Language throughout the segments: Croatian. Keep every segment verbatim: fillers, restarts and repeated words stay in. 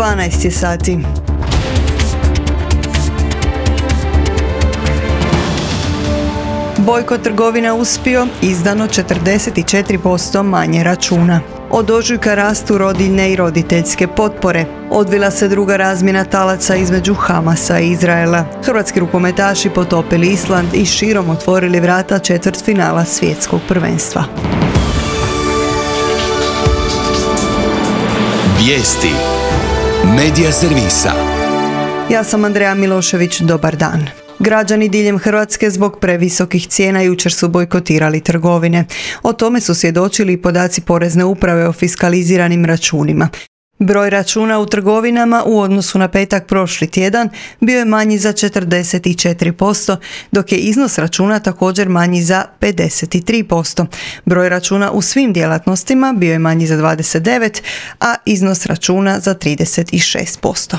dvanaest je sati. Bojkot trgovina uspio, izdano četrdeset četiri posto manje računa. Od ožujka rastu rodiljne i roditeljske potpore. Odvila se druga razmjena talaca između Hamasa i Izraela. Hrvatski rukometaši potopili Island i širom otvorili vrata četvrtfinala svjetskog prvenstva. Vijesti Medija servisa. Ja sam Andreja Milošević, dobar dan. Građani diljem Hrvatske zbog previsokih cijena jučer su bojkotirali trgovine. O tome su svjedočili i podaci Porezne uprave o fiskaliziranim računima. Broj računa u trgovinama u odnosu na petak prošli tjedan bio je manji za četrdeset četiri posto, dok je iznos računa također manji za pedeset tri posto. Broj računa u svim djelatnostima bio je manji za dvadeset devet, a iznos računa za trideset šest posto.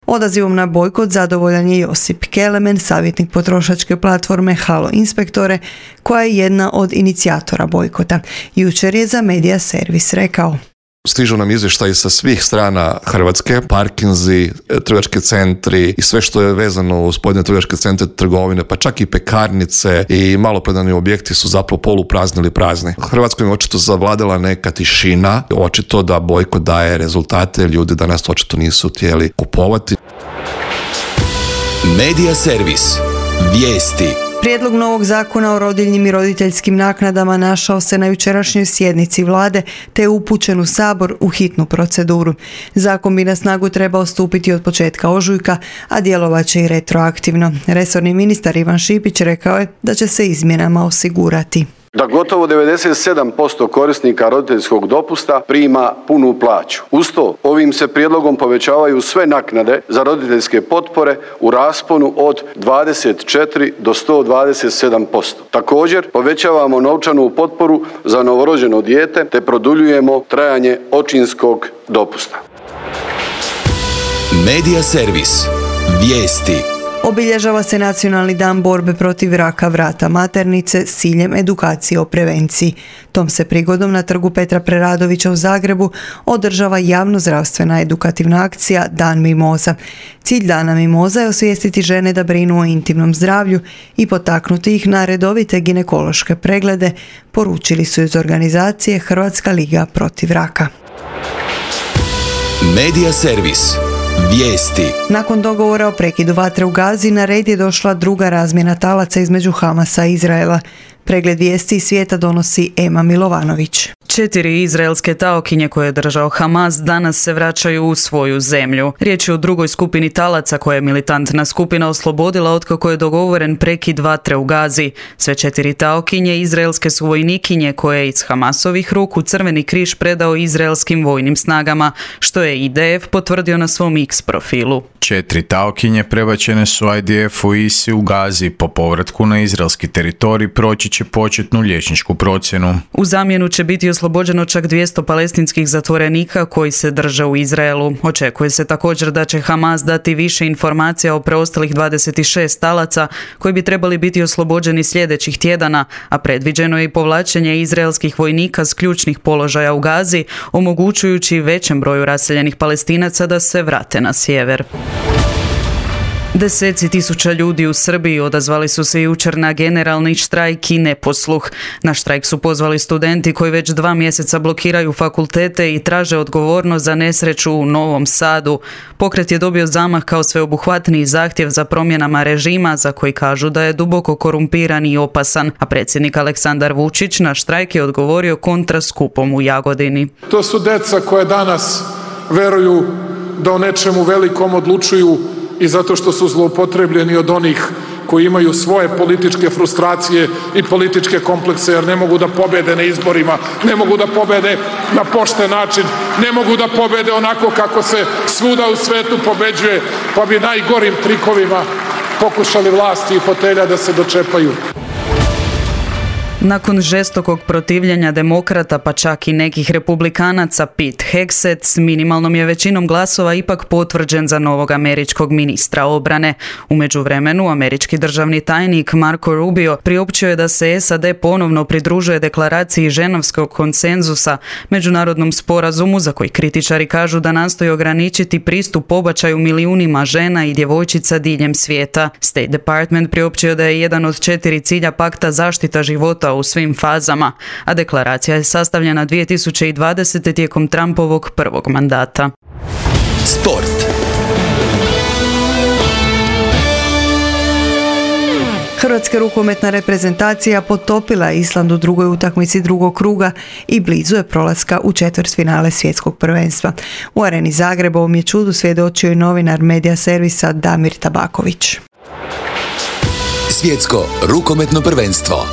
Odazivom na bojkot zadovoljan je Josip Kelemen, savjetnik potrošačke platforme Halo Inspektore, koja je jedna od inicijatora bojkota. Jučer je za Medija servis rekao: Stižu nam izvještaji sa svih strana Hrvatske, parkinzi, trgovački centri i sve što je vezano uz pojedine trgovačke centre, trgovine, pa čak i pekarnice i maloprodajni objekti su zapravo poluprazni ili prazni. U Hrvatskoj je očito zavladala neka tišina, očito da bojkot daje rezultate, ljudi danas očito nisu htjeli kupovati. Medija servis. Vijesti. Prijedlog novog zakona o rodiljnim i roditeljskim naknadama našao se na jučerašnjoj sjednici vlade te je upućen u Sabor u hitnu proceduru. Zakon bi na snagu trebao stupiti od početka ožujka, a djelovat će i retroaktivno. Resorni ministar Ivan Šipić rekao je da će se izmjenama osigurati da gotovo devedeset sedam posto korisnika roditeljskog dopusta prima punu plaću. Uz to, ovim se prijedlogom povećavaju sve naknade za roditeljske potpore u rasponu od dvadeset četiri do sto dvadeset sedam posto. Također, povećavamo novčanu potporu za novorođeno dijete te produljujemo trajanje očinskog dopusta. Medija servis. Vijesti. Obilježava se Nacionalni dan borbe protiv raka vrata maternice s ciljem edukacije o prevenciji. Tom se prigodom na trgu Petra Preradovića u Zagrebu održava javnozdravstvena edukativna akcija Dan mimoza. Cilj Dana mimoza je osvijestiti žene da brinu o intimnom zdravlju i potaknuti ih na redovite ginekološke preglede, poručili su iz organizacije Hrvatska liga protiv raka. Medija servis. Vijesti. Nakon dogovora o prekidu vatre u Gazi na red je došla druga razmjena talaca između Hamasa i Izraela. Pregled vijesti iz svijeta donosi Ema Milovanović. Četiri izraelske taokinje koje je držao Hamas danas se vraćaju u svoju zemlju. Riječ je o drugoj skupini talaca koje je militantna skupina oslobodila otkako je dogovoren prekid vatre u Gazi. Sve četiri taokinje izraelske su vojnikinje koje je iz Hamasovih ruku Crveni križ predao izraelskim vojnim snagama, što je I D F potvrdio na svom X profilu. Četiri taokinje prebačene su I D F-u I S I u Gazi. Po povratku na izraelski teritorij proći će početnu liječničku procjenu. U zamjenu će biti oslobođeno čak dvjesto palestinskih zatvorenika koji se drže u Izraelu. Očekuje se također da će Hamas dati više informacija o preostalih dvadeset šest talaca koji bi trebali biti oslobođeni sljedećih tjedana, a predviđeno je i povlačenje izraelskih vojnika s ključnih položaja u Gazi, omogućujući većem broju raseljenih Palestinaca da se vrate na sjever. Deseci tisuća ljudi u Srbiji odazvali su se jučer na generalni štrajk i neposluh. Na štrajk su pozvali studenti koji već dva mjeseca blokiraju fakultete i traže odgovornost za nesreću u Novom Sadu. Pokret je dobio zamah kao sveobuhvatniji zahtjev za promjenama režima za koji kažu da je duboko korumpiran i opasan, a predsjednik Aleksandar Vučić na štrajk je odgovorio kontra skupom u Jagodini. To su deca koje danas veruju da o nečemu velikom odlučuju i zato što su zloupotrebljeni od onih koji imaju svoje političke frustracije i političke komplekse, jer ne mogu da pobede na izborima, ne mogu da pobede na pošten način, ne mogu da pobede onako kako se svuda u svetu pobeđuje, pa bi najgorim trikovima pokušali vlasti i fotelja da se dočepaju. Nakon žestokog protivljenja demokrata pa čak i nekih republikanaca, Pete Hegseth s minimalnom je većinom glasova ipak potvrđen za novog američkog ministra obrane. U međuvremenu američki državni tajnik Marco Rubio priopćio je da se S A D ponovno pridružuje deklaraciji Ženevskog konsenzusa, međunarodnom sporazumu za koji kritičari kažu da nastoji ograničiti pristup pobačaju milijunima žena i djevojčica diljem svijeta. State Department priopćio da je jedan od četiri cilja pakta zaštita života u svim fazama, a deklaracija je sastavljena dvije tisuće dvadesete tijekom Trumpovog prvog mandata. Sport. Hrvatska rukometna reprezentacija potopila Island u drugoj utakmici drugog kruga i blizu je prolaska u četvrtfinale svjetskog prvenstva. U Areni Zagreba ovom je čudu svjedočio i novinar Medija servisa Damir Tabaković. Svjetsko rukometno prvenstvo.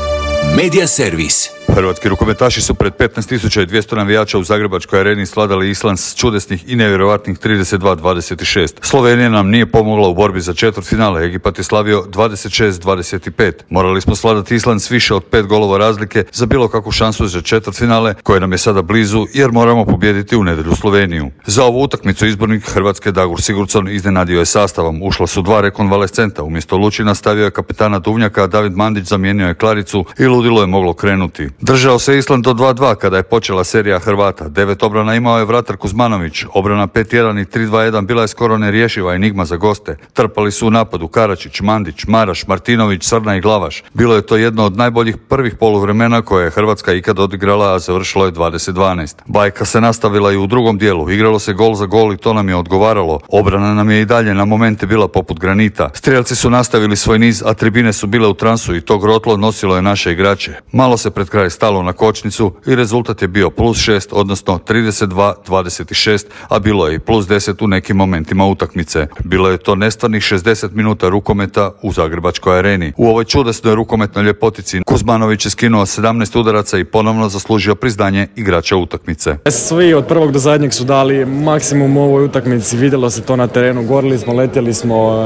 Medija servis. Hrvatski rukometaši su pred petnaest tisuća dvjesto navijača u Zagrebačkoj areni svladali Island s čudesnih i nevjerojatnih trideset dva dvadeset šest. Slovenija nam nije pomogla u borbi za četvrtfinale, Egipat je slavio dvadeset šest dvadeset pet. Morali smo svladati Island s više od pet golova razlike za bilo kakvu šansu za četvrtfinale, koje nam je sada blizu jer moramo pobijediti u nedjelju Sloveniju. Za ovu utakmicu izbornik Hrvatske Dagur Sigurdsson iznenadio je sastavom. Ušla su dva rekonvalescenta, umjesto Lučina stavio je kapetana Duvnjaka, David Mandić zamijenio je Klaricu i ludilo je moglo krenuti. Držao se Island do dva dva kada je počela serija Hrvata. Devet obrana imao je vratar Kuzmanović. Obrana pet jedan i tri dva jedan bila je skoro nerješiva enigma za goste. Trpali su u napadu Karačić, Mandić, Maraš, Martinović, Srna i Glavaš. Bilo je to jedno od najboljih prvih poluvremena koje je Hrvatska ikad odigrala, a završilo je dvadeset dvanaest. Bajka se nastavila i u drugom dijelu. Igralo se gol za gol i to nam je odgovaralo. Obrana nam je i dalje na momente bila poput granita. Strijelci su nastavili svoj niz, a tribine su bile u transu i to grotlo nosilo je naše igrače. Malo se pred kraj stalo na kočnicu i rezultat je bio plus šest, odnosno trideset dva dvadeset šest, a bilo je i plus deset u nekim momentima utakmice. Bilo je to nestvarnih šezdeset minuta rukometa u Zagrebačkoj areni. U ovoj čudesnoj rukometnoj ljepotici Kuzmanović je skinuo sedamnaest udaraca i ponovno zaslužio priznanje igrača utakmice. Svi od prvog do zadnjeg su dali maksimum u ovoj utakmici, vidjelo se to na terenu, gorili smo, letjeli smo,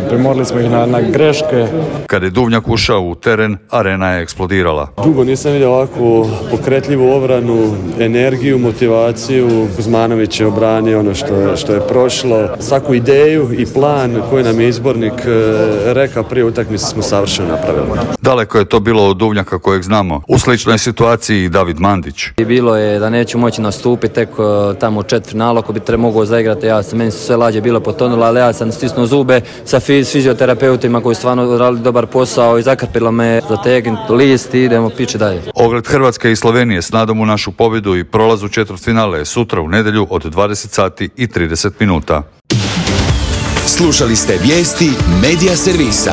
premorili smo ih na, na greške. Kad je Duvnjak ušao u teren, arena je eksplodirala. Dugo nisam vidio ovakvu pokretljivu obranu, energiju, motivaciju. Kuzmanović je obranio ono što je, što je prošlo. Svaku ideju i plan koji nam je izbornik rekao prije utakmice smo savršeno napravili. Daleko je to bilo od Duvnjaka kojeg znamo. U sličnoj situaciji i David Mandić. Bilo je da neću moći nastupiti tek tamo u četvrtfinalu, ako bi tre mogao zaigrati, ja sam, meni su sve lađe bilo potonule, ali ja sam stisnuo zube sa fiz, fizioterapeutima koji stvarno radili dobar posao i zakrpilo me zategnuti list i idemo pići dalje. Ogled Hrvatske i Slovenije s nadom u našu pobjedu i prolaz u četvrtfinale je sutra u nedjelju od dvadeset sati i trideset minuta. Slušali ste vijesti Medija servisa.